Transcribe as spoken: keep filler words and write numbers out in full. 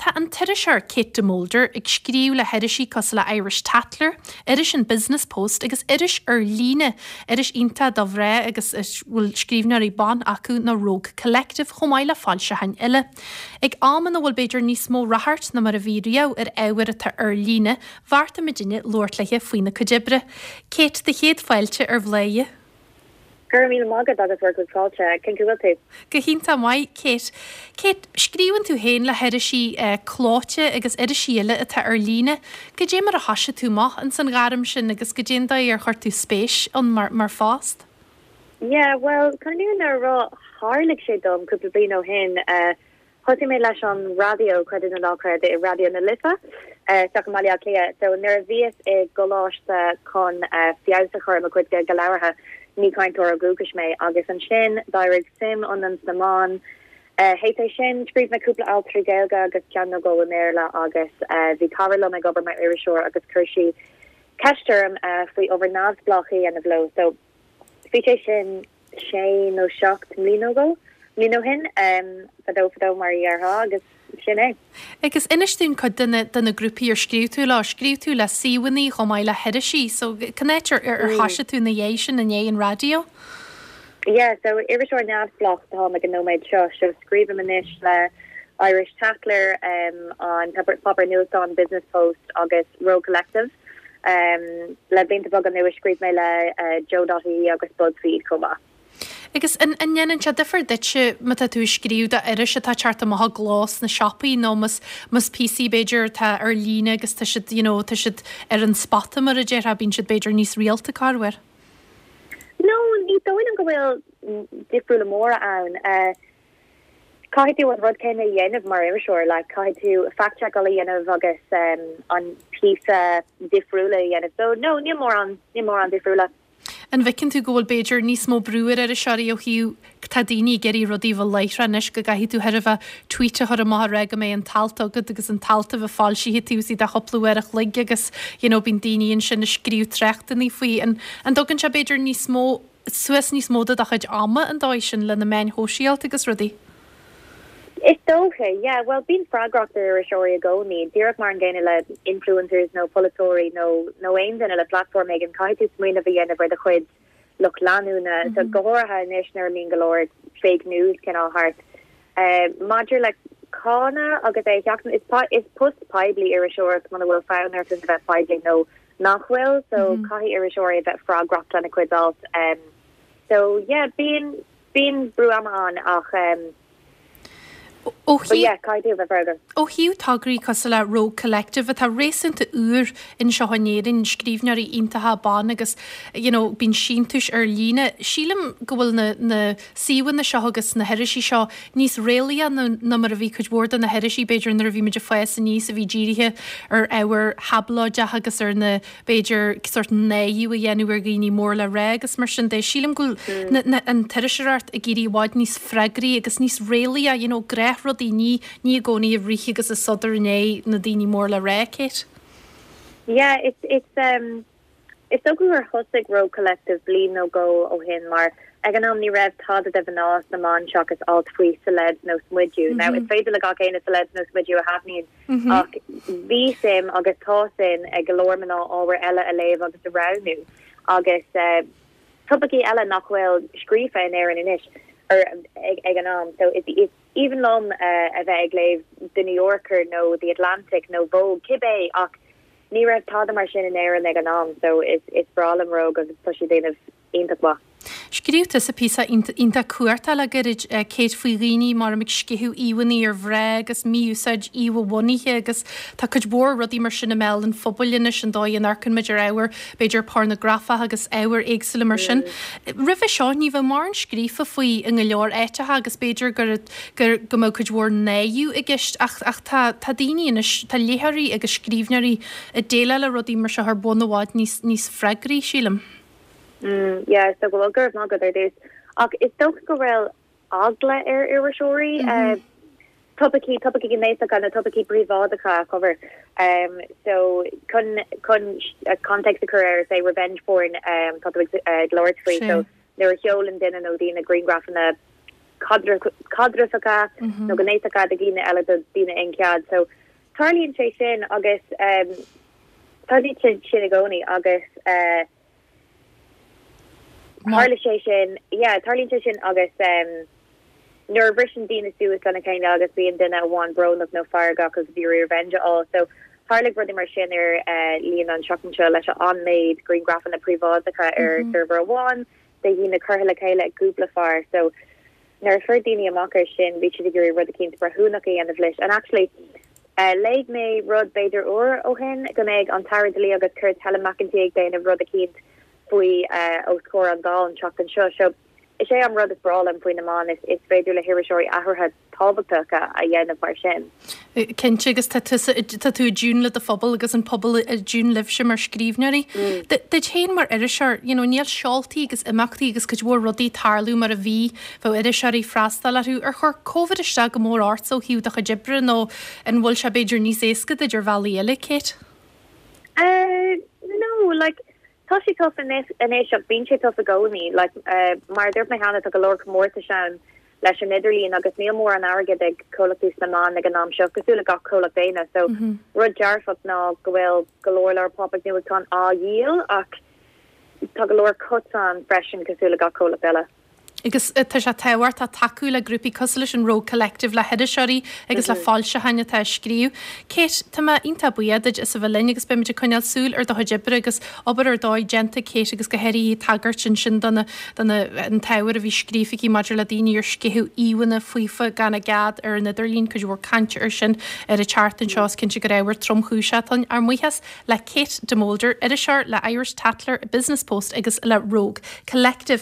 Tá an t-iriseoir Kate de Mulder ag scríobh le hirisí cosúil le Irish Tatler, iris an Business Post agus iris ar líne, iris iontach do mhná agus bhfuil scríbhneoirí ban acu ná Rogue Collective chomh maith le foilseacháin eile. Ag am ina bhfuil b'fhéidir níos mó ráchairt ná mar a bhí riamh ar ábhar atá ar líne, bheartaigh muidinne labhairt léi faoina cuid oibre. Kate do chéad fáilte ar Bhladhaire. Gur mí magad agus bhur go fáilte cén bhfuil tú. Go hiontach maith Kate. Kate, scríobhann tú féin le hirisí uh, clóite agus irisí eile atá ar líne, Goidé mar a thosaigh tú amach in san ghairm sin agus goidé an dóigh ar chuir tú spéis ann mar, mar phost? Yeah, well, chun na rá tharla sé dom cúpla bliain ó shin uh, Thosaigh mé leis an raidió creid é nó ná creid i Raidió na Life uh, sa Mhaile Cliath, so nuair a bhíos i gcoláiste chun uh, feabhas a chur mo chuid Gaeilge labhartha ní cainteoir dúchais mé agus ansin d'éirigh suim ionam sna meáin. Uh, Théis é sin scríobh mé cúpla alt trí Ghaeilge agus ceann nó dhó i mBéarla agus uh, bhí cara liom ag obair mar iriseoir agus chuir sí ceist orm uh, faoi obair neamhspleách a dhéanamh leo so bhí sé sin sé nó seacht mbliana ó bliain ó shin um, fadó fadó mar dhéarfá agus sin é. Agus inis dúinn cuid de na grúpaí ar scríobh tú le scríobh tú le suíomhanna chomh maith le hirisí, so cén áit ar ar mm. thosaigh tú na dhéis sin in é an raidió? Yeah, so iriseoir neamhspleách atá ag an nóiméad seo so scríobhaim anois le Irish Tatler um, an páipéar nuachtáin Business Post agus Rogue Collective. Um, le blianta beaga anuas scríobh mé le uh, Joe.ie agus BuzzFeed chomh maith. Agus an ndéanann sé difear duitse má tá tú scríobh do iris atá ag teacht amach i gcló sna siopaí nó más más píosaí b'fhéidir atá ar líne agus tá siad you know, tá siad ar an spota mar a déarfá bíonn siad b'fhéidir níos rialta corruair. No, ní dóigh liom go bhfuil difriúla móra ann. Uh, Caithfidh tú an rud céanna a dhéanamh mar iriseoir, le caithfidh tú fact-checkáil a dhéanamh agus um, an píosa difriúla a dhéanamh. So no, ní mórán ní mórán difriúla. An bhfeiceann tú go bhfuil b'fhéidir níos mó brú ar iriseoirí ó thaobh tá daoine ag iarraidh rudaí bheith láithreach anois go gcaithfidh tú thar a bheith tweet a chur amach rá go mbeidh an t-alt agat agus an t-alt a bheith foilsithe taobh istigh de chúpla uair a chloig agus you know, bíonn daoine ansin ag scríobh tráchtanna faoi an an dtugann sé b'fhéidir níos mó suas níos mó de do chuid ama an dóigh sin le na meáin shóisialta agus rudaí. Is dócha, yeah, well bíonn freagracht ar iriseoirí i gcónaí, díreach mar an gcéanna le influencers nó polaiteoirí nó nó aon duine le platform éigin caithfidh tú smaoineamh a dhéanamh ar do chuid lucht leanúna mm -hmm. so go háirithe anois nuair a bhíonn go leor fake news cineál thart. Uh, Maidir le cáineadh agus é cheachtan is, is post poiblí iriseoireacht muna bhfuil fonn ort a bheith poiblí nó nach bhfuil so mm -hmm. caithfidh iriseoirí a bheith freagrach lena cuid alt um, so yeah bíonn bíonn brú ama ann ach um, Ó thaobh tograí cosúil le Rogue Collective atá réasúnta úr anseo in Éirinn scríbhneoirí iontacha ban agus you know, bíonn síntiúis ar líne. Sílim go bhfuil na, na suíomhanna seo agus na hirisí seo níos réalaíche ná mar a bhí cuid mhór de na hirisí b'fhéidir nuair a bhí muid ag fás aníos a bhí dírithe ar ábhar tháblóideach agus ar na b'fhéidir sórt náire a dhéanamh ar dhaoine mór le rá agus mar sin de sílim go mm. an t-iriseoireacht ag éirí i bhfad níos freagraí agus níos réalaíche you know, rudaí ní ní i gcónaí ag rith agus ag sodar inné na daoine mór le rá Kate. Yeah, it's it's um it's so gur thosaigh Rogue Collective bliain nó dhó ó shin mar ag an am ní raibh tada do mhná sna meáin seachas alt faoi celebs nó smideadh. Mm -hmm. Now is féidir le gach éinne celebs nó smideadh a thaitníonn mm -hmm. ach bhí suim agus tá suim ag go leor mná ábhar eile a léamh agus a roghnú agus uh, topaicí eile nach bhfuil scríofa in Éirinn anois or ag, ag an am so it's, it's even liom uh, a bheith ag léamh the New Yorker nó the Atlantic nó Vogue cibé ach ní raibh tada mar sin in Éirinn ag an am so is is breá liom Rogue agus tá siad ag déanamh iontach maith. Scríobh tú sa píosa iontach cuarta le gairid Kate faoi dhaoine mar ag sceitheadh íomhánna ar mhná agus mí-úsáid íomha-bhunaithe agus tá cuid mhór rudaí mar sin i mbéal an phobail anois an dóigh a n-amharcann muid ar ábhar b'fhéidir pornagrafach agus ábhar éagsúla mar sin. Roimhe seo ní bheadh mórán scríofa faoi i go leor áiteacha agus b'fhéidir gur gur go mbeadh cuid mhór náire i gceist ach ach tá tá daoine anois tá léitheoirí agus scríbhneoirí ag déileáil le rudaí mar seo ar bhonn i bhfad níos níos freagraí sílim. Mm, yeah, so go bhfuil gur ná go dús. Ach is dócha go bhfuil eagla ar iriseoirí mm -hmm. uh, topaicí topaicí gnéasacha na topaicí príobháideacha a cover. Um, so chun chun uh, context a chur ar say revenge porn um, tá uh, labhairt faoi so nuair a sheolann duine nó daoine grianghrafanna caidreamhacha nó gnéasacha do dhaoine eile do daoine aon chead. So tarlaíonn sé sin agus um, tarlaíonn sé sin i gcónaí agus uh, tharla sé sin yeah, tarlaíonn sé sin agus um, nuair a bhriseann daoine suas lena chéile agus bíonn duine amháin brónach nó feargach agus bhí revenge á so tharla rudaí mar sin ar uh, líon an seachtain seo leis an méid grianghrafanna príobháideacha ar mm -hmm. server amháin de dhaoine curtha le chéile ag cúpla fear so nuair a fuair daoine amach ar sin bhí siad ag iarraidh rud eicínt breithiúnach a dhéanamh leis and actually uh, léigh mé rud b'fhéidir uair ó shin go mbeidh an tAire Dlí agus Cirt Helen McEntee ag déanamh rud eicínt faoi uh, os comhair an Dáil an tseachtain seo so is é an rud is breá liom faoi na meáin is is féidir le hiriseoirí athruithe tábhachtacha a dhéanamh mar sin. Cinnte agus tá tú i dtiún le do phobal agus an pobal i dtiún libhse mar scríbhneoirí. Mm. Duit féin mar iriseoir, you know, níl seoltaí agus imeachtaí agus cuid mhór rudaí ag tarlú mar a bhí bheadh iriseoirí freastal orthu ar chuir COVID isteach go mór ort ó thaobh do chuid oibre nó an bhfuil sé b'fhéidir níos éasca duit ar bhealaí eile Kate? Uh, no, like tá sé tough anois ach bíonn sé tough i gcónaí like uh, mar dúirt mé cheana tá go leor comórtais ann leis an idirlíon agus níl mórán airgead ag comhlachtaí sna meáin ag an am seo cosúil le gach comhlacht daonna so mm -hmm. rud dearfach ná go bhfuil go leor leor pop-up nuachtán á dhíol ach tá go leor cuts ann freisin cosúil le gach comhlacht eile. Agus tá sé tábhachtach tacú le grúpaí cosúil leis an Rogue Collective le hiriseoirí agus le mhm. foilseacháin atá ag scríobh. Kate tá mé iontach buíoch duit as a bheith linn agus beimid ag coinneáil súil ar do chuid oibre agus obair ar dóigh déanta Kate agus go háirithe tagairt ansin do na an t-ábhar a bhí scríofa aici maidir le daoine ar sceitheadh íomhánna faofa gan a gcead ar an idirlíon cuid mhór cainte ar sin ar an tseachtain seo is cinnte gur ábhar tromchúiseach é. Ár mbuíochas le Kate de Molder, iriseoir le Irish Tatler Business Post agus le Rogue Collective.